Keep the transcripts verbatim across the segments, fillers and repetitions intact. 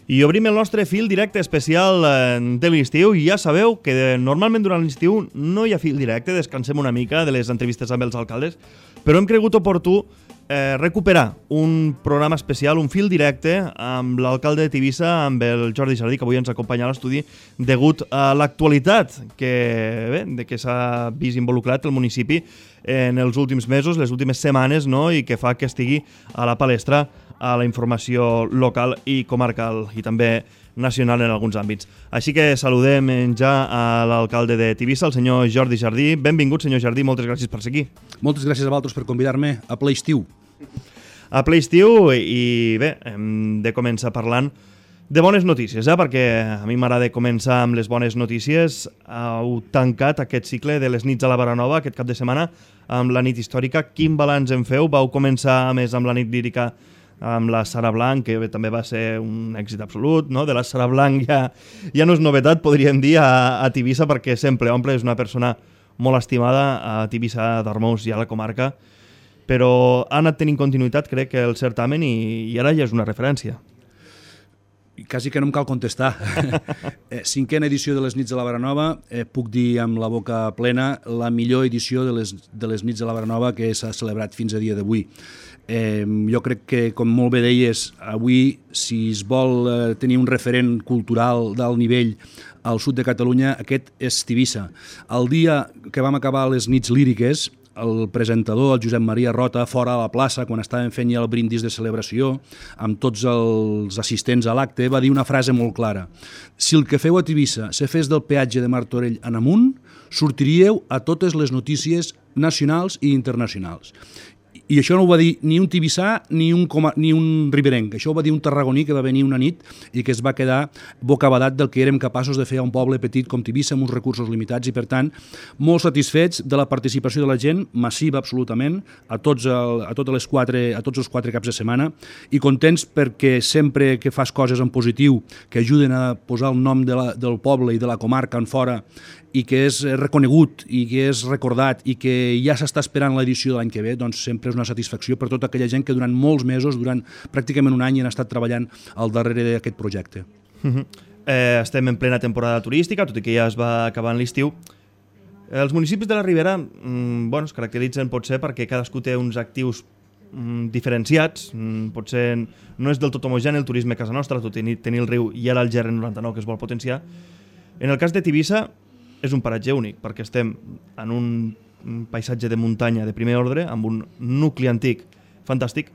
I obrim el nostre fil directe especial de l'estiu i ja sabeu que normalment durant l'estiu no hi ha fil directe, descansem una mica de les entrevistes amb els alcaldes, però hem cregut oportú eh, recuperar un programa especial, un fil directe amb l'alcalde de Tivissa, amb el Jordi Jardí, que avui ens acompanya a l'estudi, degut a l'actualitat que, bé, de què s'ha vist involucrat el municipi en els últims mesos, les últimes setmanes, no? I que fa que estigui a la palestra a la informació local i comarcal i també nacional en alguns àmbits. Així que saludem ja a l'alcalde de Tivissa, el senyor Jordi Jardí. Benvingut, senyor Jardí, moltes gràcies per ser aquí. Moltes gràcies a vosaltres per convidar-me a ple estiu. A ple estiu i bé, hem de començar parlant de bones notícies, eh? Perquè a mi m'agrada començar amb les bones notícies. Heu tancat aquest cicle de les nits a la Baranova aquest cap de setmana amb la nit històrica. Quin balanç en feu? Vau començar a més amb la nit lírica amb la Sara Blanc, que també va ser un èxit absolut, no? De la Sara Blanc ja, ja no és novetat, podríem dir, a, a Tivissa, perquè sempre omple, és una persona molt estimada a Tivissa d'Armós i a la comarca, però ha anat tenint continuïtat, crec, que el certamen i, i ara ja és una referència. Quasi que no em cal contestar. Cinquena edició de les nits de la Baranova, eh, puc dir amb la boca plena, la millor edició de les, de les nits de la Baranova que s'ha celebrat fins a dia d'avui. Eh, jo crec que, com molt bé deies, avui, si es vol eh, tenir un referent cultural d'alt nivell al sud de Catalunya, aquest és Tivissa. El dia que vam acabar les nits líriques, el presentador, el Josep Maria Rota, fora a la plaça, quan estàvem fent ja el brindis de celebració, amb tots els assistents a l'acte, va dir una frase molt clara. Si el que feu a Tivissa se fes del peatge de Martorell en amunt, sortiríeu a totes les notícies nacionals i internacionals. I això no ho va dir ni un tibissà ni un, coma, ni un riberenc. Això ho va dir un tarragoní que va venir una nit i que es va quedar bocabadat del que érem capaços de fer a un poble petit com Tivissa amb uns recursos limitats i, per tant, molt satisfets de la participació de la gent, massiva absolutament, a tots, el, a totes les quatre, a tots els quatre caps de setmana, i contents perquè sempre que fas coses en positiu que ajuden a posar el nom de la, del poble i de la comarca en fora i que és reconegut i que és recordat i que ja s'està esperant l'edició de l'any que ve, doncs sempre és una satisfacció per tota aquella gent que durant molts mesos, durant pràcticament un any, han estat treballant al darrere d'aquest projecte. Uh-huh. eh, estem en plena temporada turística, tot i que ja es va acabar en l'estiu. Els municipis de la Ribera mm, bueno, es caracteritzen potser perquè cadascú té uns actius mm, diferenciats, mm, potser no és del tot homogeni el turisme a casa nostra, tot i tenir el riu i ara el G R noranta-nou que es vol potenciar. En el cas de Tivissa és un paratge únic, perquè estem en un paisatge de muntanya de primer ordre, amb un nucli antic fantàstic,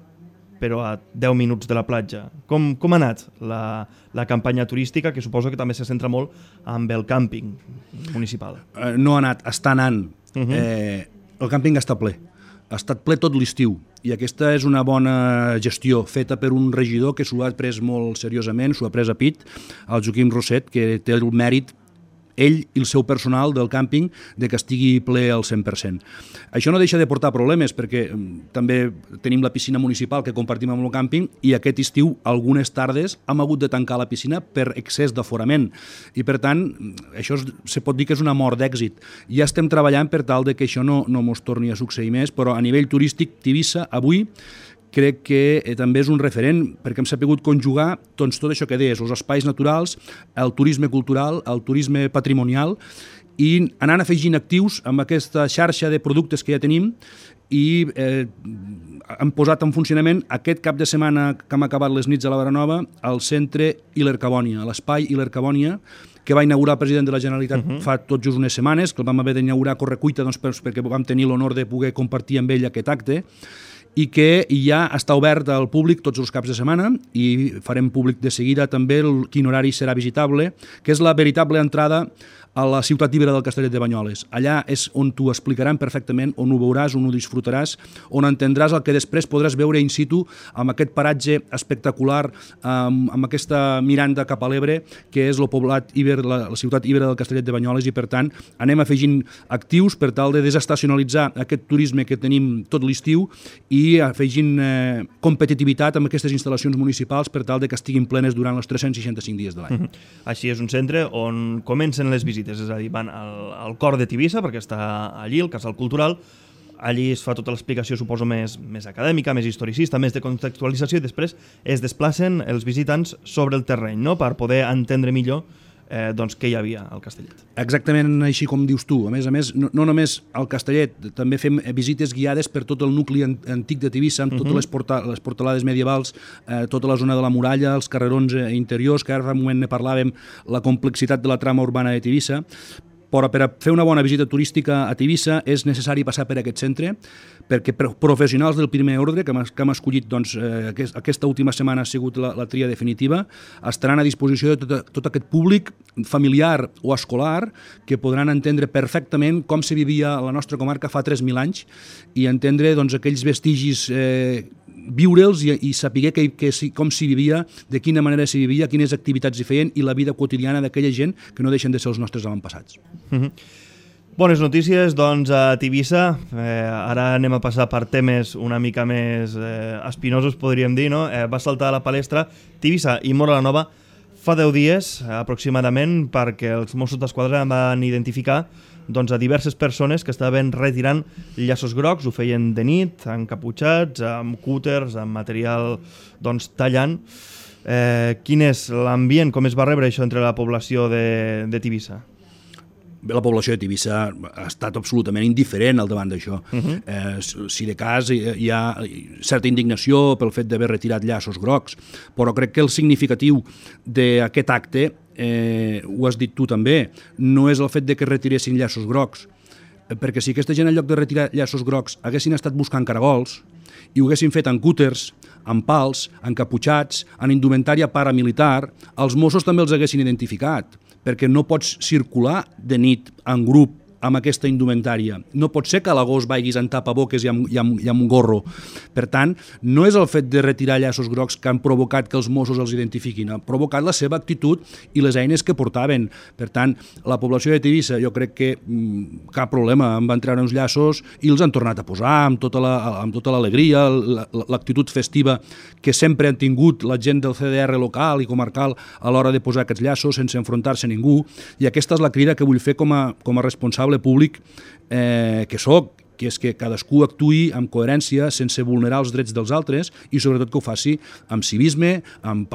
però a deu minuts de la platja. Com, com ha anat la, la campanya turística, que suposo que també se centra molt amb el càmping municipal? Uh, no ha anat, està anant. Uh-huh. eh, el càmping està ple. Ha estat ple tot l'estiu i aquesta és una bona gestió feta per un regidor que s'ho ha pres molt seriosament, s'ho ha pres a pit, el Joaquim Roset, que té el mèrit ell i el seu personal del càmping de que estigui ple al cent per cent. Això no deixa de portar problemes perquè també tenim la piscina municipal que compartim amb el càmping i aquest estiu, algunes tardes, hem hagut de tancar la piscina per excés d'aforament i per tant, això es, se pot dir que és una mort d'èxit. Ja estem treballant per tal de que això no, no mos torni a succeir més, però a nivell turístic, Tivissa, avui, crec que eh, també és un referent perquè hem sabut conjugar doncs, tot això que deies, els espais naturals, el turisme cultural, el turisme patrimonial i anant afegint actius amb aquesta xarxa de productes que ja tenim i eh, hem posat en funcionament aquest cap de setmana que hem acabat les nits a la Baranova al centre Hiler-Cabònia, l'espai Hiler-Cabònia que va inaugurar el president de la Generalitat uh-huh. fa tot just unes setmanes, que el vam haver d'inaugurar a correcuita doncs, perquè vam tenir l'honor de poder compartir amb ell aquest acte i que ja està obert al públic tots els caps de setmana i farem públic de seguida també el, quin horari serà visitable, que és la veritable entrada a la ciutat ibera del Castellet de Banyoles. Allà és on t'ho explicaran perfectament, on ho veuràs, on ho disfrutaràs, on entendràs el que després podràs veure in situ amb aquest paratge espectacular, amb, amb aquesta miranda cap a l'Ebre, que és el poblat iber, la, la ciutat ibera del Castellet de Banyoles i, per tant, anem afegint actius per tal de desestacionalitzar aquest turisme que tenim tot l'estiu i afegint eh, competitivitat amb aquestes instal·lacions municipals per tal de que estiguin plenes durant els tres-cents seixanta-cinc dies de l'any. Mm-hmm. Així és un centre on comencen les visites, és a dir, van al, al cor de Tivissa, perquè està allí, el Casal Cultural, allí es fa tota l'explicació, suposo, més, més acadèmica, més historicista, més de contextualització, i després es desplacen els visitants sobre el terreny, no?, per poder entendre millor eh, doncs, què hi havia al Castellet. Exactament així com dius tu. A més a més, no, no només al Castellet, també fem visites guiades per tot el nucli antic de Tivissa, amb totes uh -huh. les, porta, les portalades medievals, eh, tota la zona de la muralla, els carrerons eh, interiors, que ara fa un moment ne parlàvem, la complexitat de la trama urbana de Tivissa. Però per a fer una bona visita turística a Tivissa és necessari passar per aquest centre, perquè professionals del primer ordre que hem escollit, doncs, eh, aquesta última setmana ha sigut la, la tria definitiva, estaran a disposició de tot, tot aquest públic familiar o escolar que podran entendre perfectament com se vivia a la nostra comarca fa tres mil anys i entendre, doncs, aquells vestigis, eh, viure'ls i, i saber que, que, com s'hi vivia, de quina manera s'hi vivia, quines activitats hi feien i la vida quotidiana d'aquella gent que no deixen de ser els nostres avantpassats. Mm-hmm. Bones notícies, doncs, a Tivissa. Eh, ara anem a passar per temes una mica més eh, espinosos, podríem dir, no? Eh, va saltar a la palestra Tivissa i Móra la Nova fa deu dies, aproximadament, perquè els Mossos d'Esquadra van identificar doncs, a diverses persones que estaven retirant llaços grocs, ho feien de nit, encaputxats, amb cúters, amb material doncs, tallant. Eh, quin és l'ambient, com es va rebre això entre la població de, de Tivissa? Bé, la població de Tivissa ha estat absolutament indiferent al davant d'això. Uh -huh. eh, si de cas hi ha certa indignació pel fet d'haver retirat llaços grocs, però crec que el significatiu d'aquest acte, eh, ho has dit tu també, no és el fet de que retiressin llaços grocs, perquè si aquesta gent en lloc de retirar llaços grocs haguessin estat buscant caragols i ho haguessin fet en cúters, en pals, encaputxats, en indumentària paramilitar, els Mossos també els haguessin identificat, perquè no pots circular de nit en grup amb aquesta indumentària. No pot ser que a l'agost vagis en tapaboques i amb, i, amb, i amb gorro. Per tant, no és el fet de retirar llaços grocs que han provocat que els Mossos els identifiquin, ha provocat la seva actitud i les eines que portaven. Per tant, la població de Tivissa, jo crec que mmm, cap problema, en van treure uns llaços i els han tornat a posar amb tota la, amb tota l'alegria, l'actitud festiva que sempre han tingut la gent del C D R local i comarcal a l'hora de posar aquests llaços sense enfrontar-se a ningú, i aquesta és la crida que vull fer com a, com a responsable públic eh, que sóc, que és que cadascú actuï amb coherència, sense vulnerar els drets dels altres i sobretot que ho faci amb civisme, amb,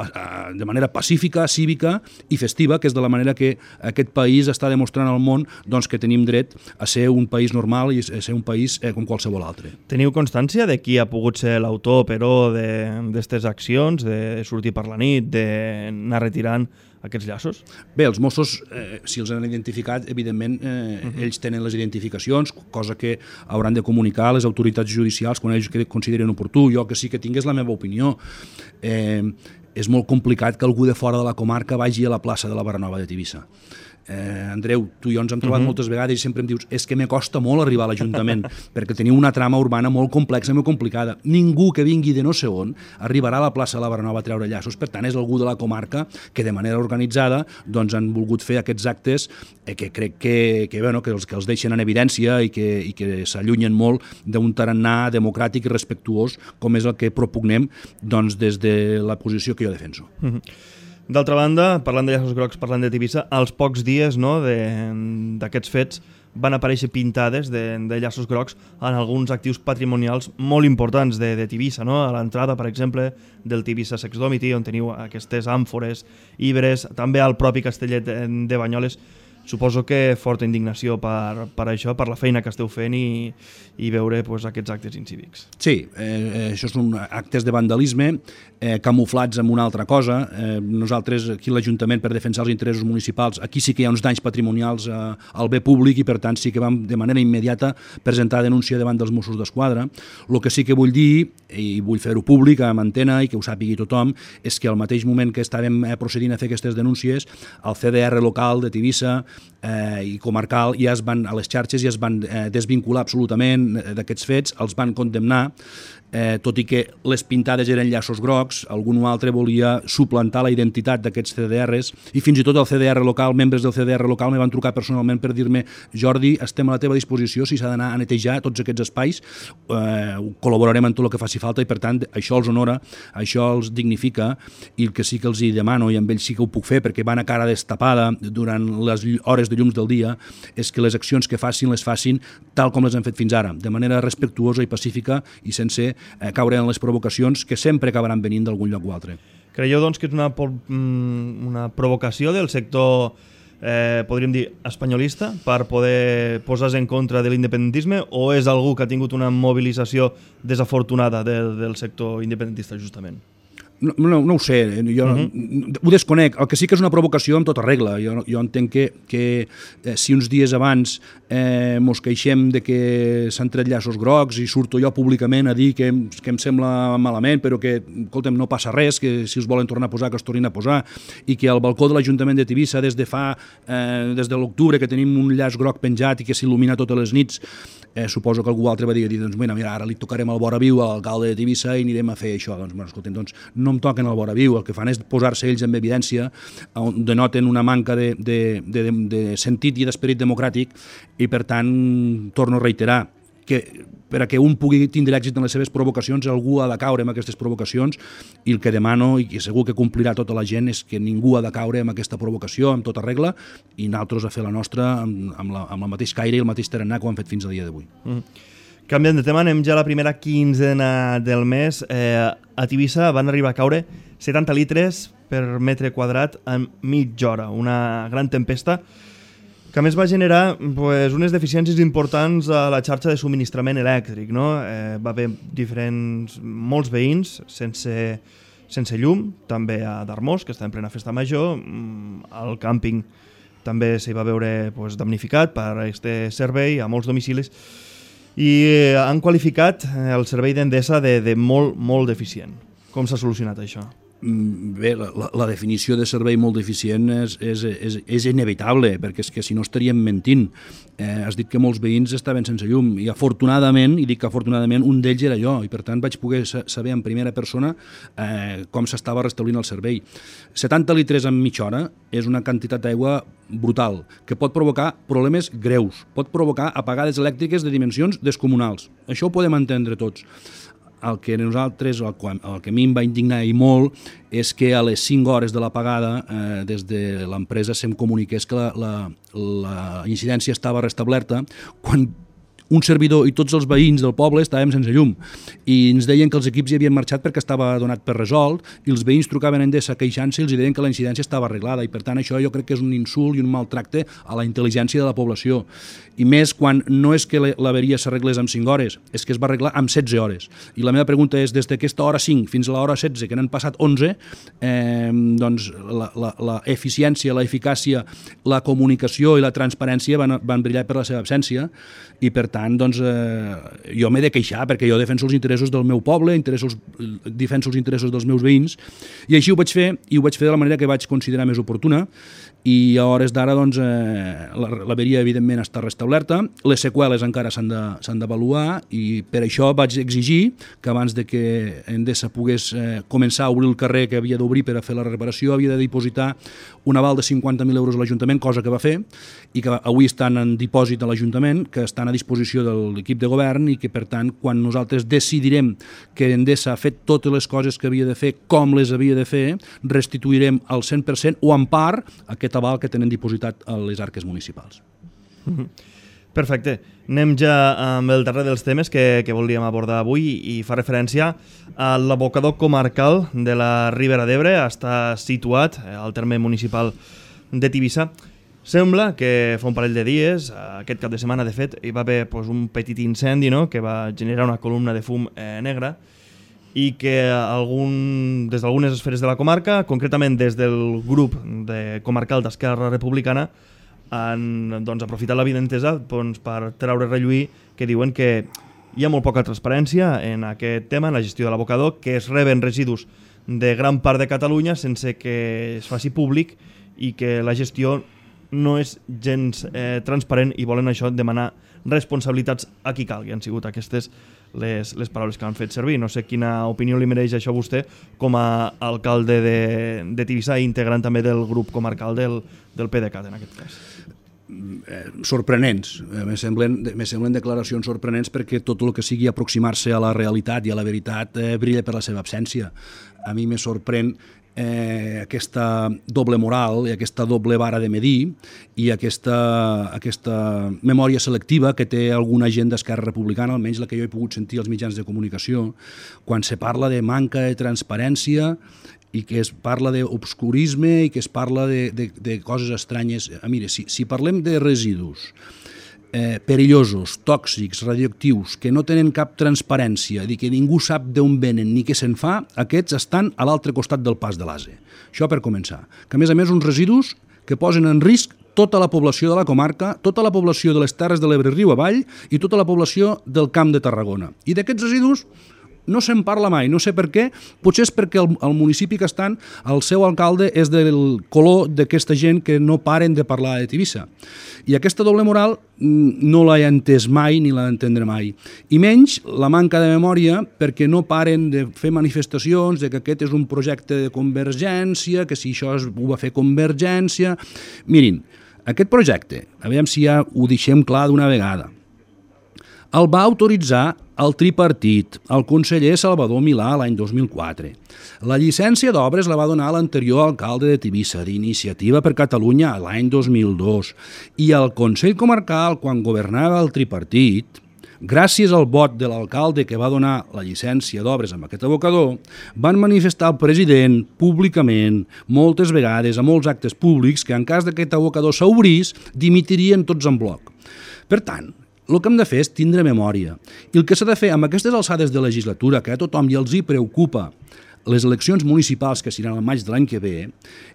de manera pacífica, cívica i festiva, que és de la manera que aquest país està demostrant al món doncs, que tenim dret a ser un país normal i a ser un país eh, com qualsevol altre. Teniu constància de qui ha pogut ser l'autor, però, d'aquestes accions, de sortir per la nit, d'anar retirant aquests llaços? Bé, els Mossos, eh, si els han identificat, evidentment, eh, uh-huh. ells tenen les identificacions, cosa que hauran de comunicar a les autoritats judicials quan ells consideren oportú. Jo que sí que tingués la meva opinió. Eh, és molt complicat que algú de fora de la comarca vagi a la plaça de la Baranova de Tivissa. Eh, Andreu, tu i jo ens hem trobat uh-huh. moltes vegades i sempre em dius és que me costa molt arribar a l'Ajuntament perquè teniu una trama urbana molt complexa i molt complicada. Ningú que vingui de no sé on arribarà a la plaça de la Baranova a treure llaços. Per tant, és algú de la comarca que de manera organitzada doncs, han volgut fer aquests actes eh, que crec que, que, bueno, que, els, que els deixen en evidència i que, i que s'allunyen molt d'un tarannà democràtic i respectuós com és el que propugnem doncs, des de la posició que jo defenso. Uh-huh. D'altra banda, parlant de llaços grocs, parlant de Tivissa, als pocs dies no, d'aquests fets van aparèixer pintades de, de llaços grocs en alguns actius patrimonials molt importants de, de Tivissa, no? A l'entrada, per exemple, del Tivissa Sex Domity, on teniu aquestes àmfores, ibres, també al propi Castellet de, de Banyoles. Suposo que forta indignació per, per això, per la feina que esteu fent i, i veure pues, aquests actes incívics. Sí, eh, això són actes de vandalisme eh, camuflats amb una altra cosa. Eh, nosaltres, aquí a l'Ajuntament, per defensar els interessos municipals, aquí sí que hi ha uns danys patrimonials eh, al bé públic i, per tant, sí que vam de manera immediata presentar denúncia davant dels Mossos d'Esquadra. El que sí que vull dir, i vull fer-ho públic, amb antena i que ho sàpigui tothom, és que al mateix moment que estàvem eh, procedint a fer aquestes denúncies, el C D R local de Tivissa Eh, i comarcal ja es van a les xarxes i ja es van eh, desvincular absolutament d'aquests fets, els van condemnar, eh, tot i que les pintades eren llaços grocs, algun altre volia suplantar la identitat d'aquests C D Rs i fins i tot el C D R local, membres del C D R local me van trucar personalment per dir-me Jordi, estem a la teva disposició si s'ha d'anar a netejar tots aquests espais, eh, col·laborarem en tot el que faci falta i per tant això els honora, això els dignifica i el que sí que els hi demano i amb ells sí que ho puc fer perquè van a cara destapada durant les hores de llums del dia és que les accions que facin les facin tal com les han fet fins ara, de manera respectuosa i pacífica i sense eh, caure en les provocacions que sempre acabaran venint d'algun lloc o altre. Creieu, doncs, que és una, una provocació del sector, eh, podríem dir, espanyolista per poder posar-se en contra de l'independentisme o és algú que ha tingut una mobilització desafortunada del, del sector independentista, justament? No, no, no ho sé, jo uh -huh. ho desconec. El que sí que és una provocació amb tota regla. Jo, jo entenc que, que eh, si uns dies abans eh, mos queixem de que s'han tret llaços grocs i surto jo públicament a dir que, que em sembla malament, però que, escolta'm, no passa res, que si els volen tornar a posar, que es tornin a posar, i que al balcó de l'Ajuntament de Tivissa des de fa, eh, des de l'octubre, que tenim un llaç groc penjat i que s'il·lumina totes les nits, Eh, suposo que algú altre va dir, doncs mira, mira, ara li tocarem al vora viu a l'alcalde de Tivissa i anirem a fer això. Doncs, bueno, escoltem, doncs no em toquen al vora viu, el que fan és posar-se ells en evidència, on denoten una manca de, de, de, de sentit i d'esperit democràtic i, per tant, torno a reiterar que per a que un pugui tindre èxit en les seves provocacions, algú ha de caure en aquestes provocacions i el que demano, i que segur que complirà tota la gent, és que ningú ha de caure en aquesta provocació, amb tota regla, i nosaltres a fer la nostra amb, amb, la, amb el mateix caire i el mateix tarannà que ho hem fet fins al dia d'avui. Mm. Canviant de tema, anem ja a la primera quinzena del mes. Eh, a Tivissa van arribar a caure setanta litres per metre quadrat en mitja hora, una gran tempesta que a més va generar pues, unes deficiències importants a la xarxa de subministrament elèctric. No? Eh, va haver diferents, molts veïns sense, sense llum, també a Darmós, que està en plena festa major, el càmping també s'hi va veure pues, damnificat per aquest servei a molts domicilis, i han qualificat el servei d'Endesa de, de molt, molt deficient. Com s'ha solucionat això? Bé, la, la definició de servei molt deficient és, és, és, és inevitable, perquè és que si no estaríem mentint. Eh, has dit que molts veïns estaven sense llum, i afortunadament, i dic que afortunadament, un d'ells era jo, i per tant vaig poder saber en primera persona eh, com s'estava restablint el servei. setanta litres en mitja hora és una quantitat d'aigua brutal, que pot provocar problemes greus, pot provocar apagades elèctriques de dimensions descomunals. Això ho podem entendre tots. El que nosaltres, el que, el que a mi em va indignar i molt, és que a les cinc hores de l'apagada, eh, des de l'empresa se'm comuniqués que la, la, la incidència estava restablerta, quan un servidor i tots els veïns del poble estàvem sense llum, i ens deien que els equips hi havien marxat perquè estava donat per resolt, i els veïns trucaven a Endesa queixant-se i els deien que la incidència estava arreglada, i per tant això jo crec que és un insult i un maltracte a la intel·ligència de la població, i més quan no és que l'averia s'arreglés en cinc hores, és que es va arreglar en setze hores. I la meva pregunta és, des d'aquesta hora cinc fins a l'hora setze, que n'han passat onze, eh, doncs la, la, la eficiència, la eficàcia, la comunicació i la transparència van, van brillar per la seva absència, i per tant, doncs, eh, jo m'he de queixar perquè jo defenso els interessos del meu poble, interessos, defenso els interessos dels meus veïns, i així ho vaig fer, i ho vaig fer de la manera que vaig considerar més oportuna, i a hores d'ara doncs, eh, l'averia evidentment està restablerta, les seqüeles encara s'han d'avaluar, i per això vaig exigir que abans de que Endesa pogués eh, començar a obrir el carrer que havia d'obrir per a fer la reparació, havia de dipositar un aval de cinquanta mil euros a l'Ajuntament, cosa que va fer, i que avui estan en dipòsit a l'Ajuntament, que estan a disposició de l'equip de govern, i que per tant quan nosaltres decidirem que Endesa ha fet totes les coses que havia de fer com les havia de fer, restituirem al cent per cent o en part aquest aval que tenen dipositat a les arques municipals. Perfecte. Anem ja amb el darrer dels temes que, que volíem abordar avui, i fa referència a l'abocador comarcal de la Ribera d'Ebre. Està situat al terme municipal de Tivissa. Sembla que fa un parell de dies, aquest cap de setmana de fet, hi va haver pues, un petit incendi, no?, que va generar una columna de fum eh, negra, i que algun, des d'algunes esferes de la comarca, concretament des del grup de comarcal d'Esquerra Republicana, han doncs, aprofitat l'avinentesa doncs, per treure relluir que diuen que hi ha molt poca transparència en aquest tema, en la gestió de l'abocador, que es reben residus de gran part de Catalunya sense que es faci públic, i que la gestió no és gens eh, transparent, i volen això demanar responsabilitats a qui calgui. Han sigut aquestes les, les paraules que han fet servir. No sé quina opinió li mereix això a vostè com a alcalde de, de Tivissa i integrant també del grup comarcal del, del PDeCAT en aquest cas. sorprenents. Me semblen, me semblen declaracions sorprenents perquè tot el que sigui aproximar-se a la realitat i a la veritat eh, brilla per la seva absència. A mi me sorprèn eh, aquesta doble moral i aquesta doble vara de medir i aquesta, aquesta memòria selectiva que té alguna gent d'Esquerra Republicana, almenys la que jo he pogut sentir als mitjans de comunicació, quan se parla de manca de transparència i que es parla d'obscurisme i que es parla de, de, de coses estranyes. Ah, mira, si, si parlem de residus eh, perillosos, tòxics, radioactius, que no tenen cap transparència, i que ningú sap d'on venen ni què se'n fa, aquests estan a l'altre costat del pas de l'A S E. Això per començar. Que a més a més uns residus que posen en risc tota la població de la comarca, tota la població de les Terres de l'Ebre riu avall i tota la població del Camp de Tarragona. I d'aquests residus no se'n parla mai, no sé per què, potser és perquè el, el municipi que estan, el seu alcalde és del color d'aquesta gent que no paren de parlar de Tivissa. I aquesta doble moral no l'he entès mai ni l'he d'entendre mai. I menys la manca de memòria perquè no paren de fer manifestacions de que aquest és un projecte de Convergència, que si això es, ho va fer Convergència... Mirin, aquest projecte, a veure si ja ho deixem clar d'una vegada, el va autoritzar el tripartit, el conseller Salvador Milà l'any dos mil quatre. La llicència d'obres la va donar l'anterior alcalde de Tivissa, d'Iniciativa per Catalunya, l'any dos mil dos. I el Consell Comarcal, quan governava el tripartit, gràcies al vot de l'alcalde que va donar la llicència d'obres amb aquest abocador, van manifestar al president públicament, moltes vegades, a molts actes públics, que en cas d'aquest abocador s'obrís, dimitirien tots en bloc. Per tant, el que hem de fer és tindre memòria. I el que s'ha de fer amb aquestes alçades de legislatura, que a tothom ja els hi preocupa les eleccions municipals que seran al maig de l'any que ve,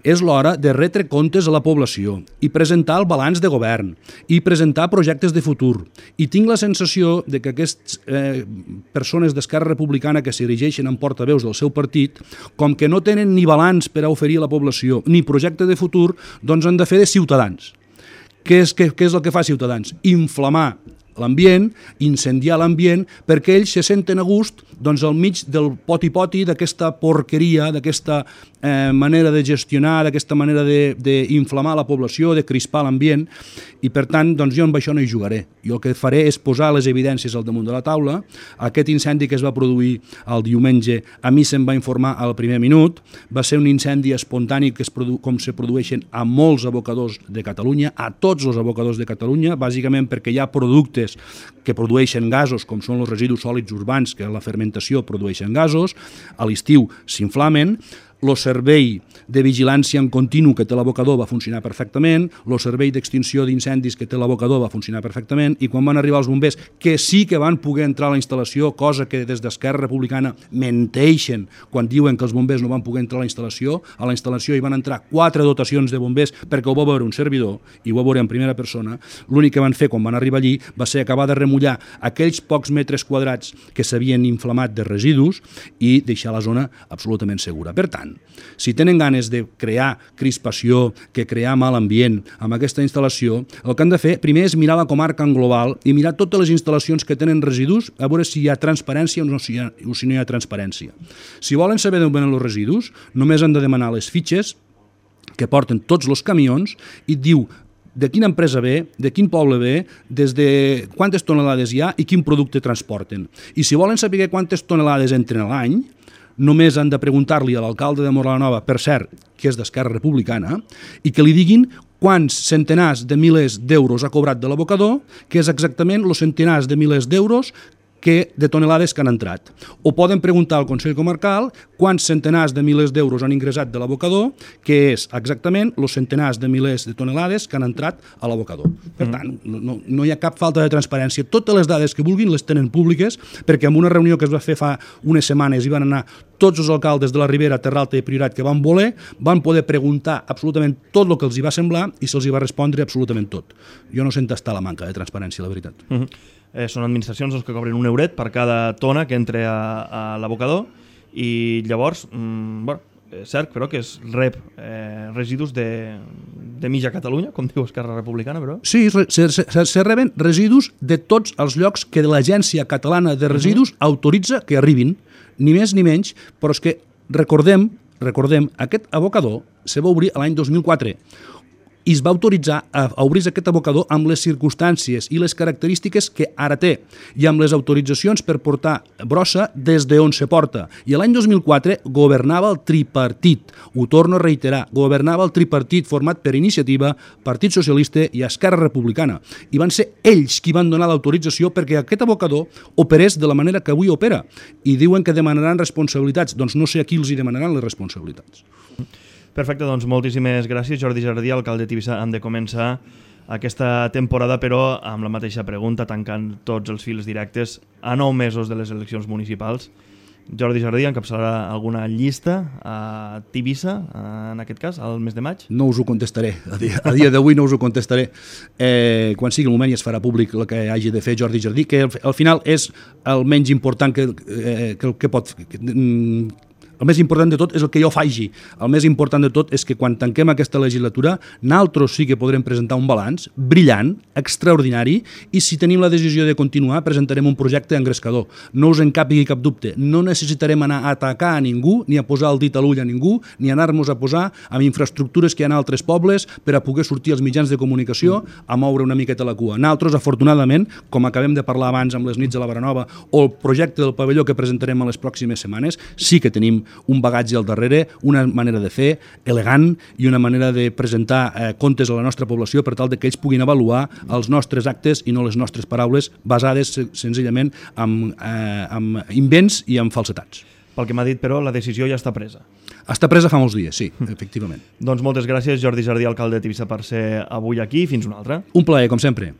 és l'hora de retre comptes a la població i presentar el balanç de govern i presentar projectes de futur. I tinc la sensació de que aquestes eh, persones d'Esquerra Republicana que s'erigeixen en portaveus del seu partit, com que no tenen ni balanç per a oferir a la població ni projecte de futur, doncs han de fer de ciutadans. Què és, què, què és el que fa Ciutadans? Inflamar l'ambient, incendiar l'ambient, perquè ells se senten a gust doncs, al mig del poti-poti d'aquesta porqueria, d'aquesta eh, manera de gestionar, d'aquesta manera d'inflamar la població, de crispar l'ambient, i per tant doncs, jo amb això no hi jugaré. Jo el que faré és posar les evidències al damunt de la taula. Aquest incendi que es va produir el diumenge, a mi se'm va informar al primer minut, va ser un incendi espontani que es produ com se produeixen a molts abocadors de Catalunya, a tots els abocadors de Catalunya, bàsicament perquè hi ha productes que produeixen gasos, com són els residus sòlids urbans, que a la fermentació produeixen gasos, a l'estiu s'inflamen. El servei de vigilància en continu que té l'abocador va funcionar perfectament, el servei d'extinció d'incendis que té l'abocador va funcionar perfectament, i quan van arribar els bombers, que sí que van poder entrar a la instal·lació, cosa que des d'Esquerra Republicana menteixen quan diuen que els bombers no van poder entrar a la instal·lació, a la instal·lació hi van entrar quatre dotacions de bombers perquè ho va veure un servidor, i ho va veure en primera persona. L'únic que van fer quan van arribar allí va ser acabar de remullar aquells pocs metres quadrats que s'havien inflamat de residus i deixar la zona absolutament segura. Per tant, si tenen ganes de crear crispació, que crear mal ambient amb aquesta instal·lació, el que han de fer primer és mirar la comarca en global i mirar totes les instal·lacions que tenen residus a veure si hi ha transparència o, no, si, hi ha, o si no hi ha transparència. Si volen saber d'on venen els residus, només han de demanar les fitxes que porten tots els camions i diu de quina empresa ve, de quin poble ve, des de quantes tonelades hi ha i quin producte transporten. I si volen saber quantes tonelades entren a l'any, només han de preguntar-li a l'alcalde de Móra-la-Nova, per cert, que és d'Esquerra Republicana, i que li diguin quants centenars de milers d'euros ha cobrat de l'abocador, que és exactament els centenars de milers d'euros que de tonelades que han entrat. O poden preguntar al Consell Comarcal quants centenars de milers d'euros han ingressat de l'abocador, que és exactament els centenars de milers de tonelades que han entrat a l'abocador. Per tant, no, no hi ha cap falta de transparència. Totes les dades que vulguin les tenen públiques, perquè en una reunió que es va fer fa unes setmanes hi van anar tots els alcaldes de la Ribera, Terralta i Priorat que van voler, van poder preguntar absolutament tot el que els hi va semblar i se'ls hi va respondre absolutament tot. Jo no sento estar la manca de transparència, la veritat. Uh -huh. eh, són administracions doncs, que cobren un euret per cada tona que entre a, a l'abocador i llavors, mm, bueno, és cert, però que es rep eh, residus de, de mitja Catalunya, com diu Esquerra Republicana, però... Sí, se, se, se reben residus de tots els llocs que l'Agència Catalana de Residus uh-huh. autoritza que arribin, ni més ni menys, però és que recordem, recordem, aquest abocador se va obrir l'any dos mil quatre. i es va autoritzar a obrir aquest abocador amb les circumstàncies i les característiques que ara té i amb les autoritzacions per portar brossa des d'on se porta. I l'any dos mil quatre governava el tripartit, ho torno a reiterar, governava el tripartit format per Iniciativa, Partit Socialista i Esquerra Republicana. I van ser ells qui van donar l'autorització perquè aquest abocador operés de la manera que avui opera. I diuen que demanaran responsabilitats. Doncs no sé a qui els hi demanaran les responsabilitats. Perfecte, doncs moltíssimes gràcies, Jordi Jardí, alcalde de Tivissa. Hem de començar aquesta temporada, però amb la mateixa pregunta, tancant tots els fils directes a nou mesos de les eleccions municipals. Jordi Jardí encapçalarà alguna llista a Tivissa, en aquest cas, al mes de maig? No us ho contestaré, a dia, a dia d'avui no us ho contestaré. Eh, quan sigui el moment ja es farà públic el que hagi de fer Jordi Jardí, que al, al final és el menys important que, eh, que, que pot... Que, El més important de tot és el que jo faci. El més important de tot és que quan tanquem aquesta legislatura, nosaltres sí que podrem presentar un balanç brillant, extraordinari, i si tenim la decisió de continuar, presentarem un projecte engrescador. No us en capigui cap dubte. No necessitarem anar a atacar a ningú, ni a posar el dit a l'ull a ningú, ni anar-nos a posar amb infraestructures que hi ha en altres pobles per a poder sortir als mitjans de comunicació a moure una miqueta la cua. Nosaltres, afortunadament, com acabem de parlar abans amb les nits de la Baranova o el projecte del pavelló que presentarem a les pròximes setmanes, sí que tenim un bagatge al darrere, una manera de fer elegant i una manera de presentar eh, comptes a la nostra població per tal de que ells puguin avaluar els nostres actes i no les nostres paraules basades senzillament en, eh, en invents i en falsetats. Pel que m'ha dit, però, la decisió ja està presa. Està presa fa molts dies, sí, efectivament. Doncs moltes gràcies, Jordi Jardí, alcalde de Tivissa, per ser avui aquí. Fins una altra. Un plaer, com sempre.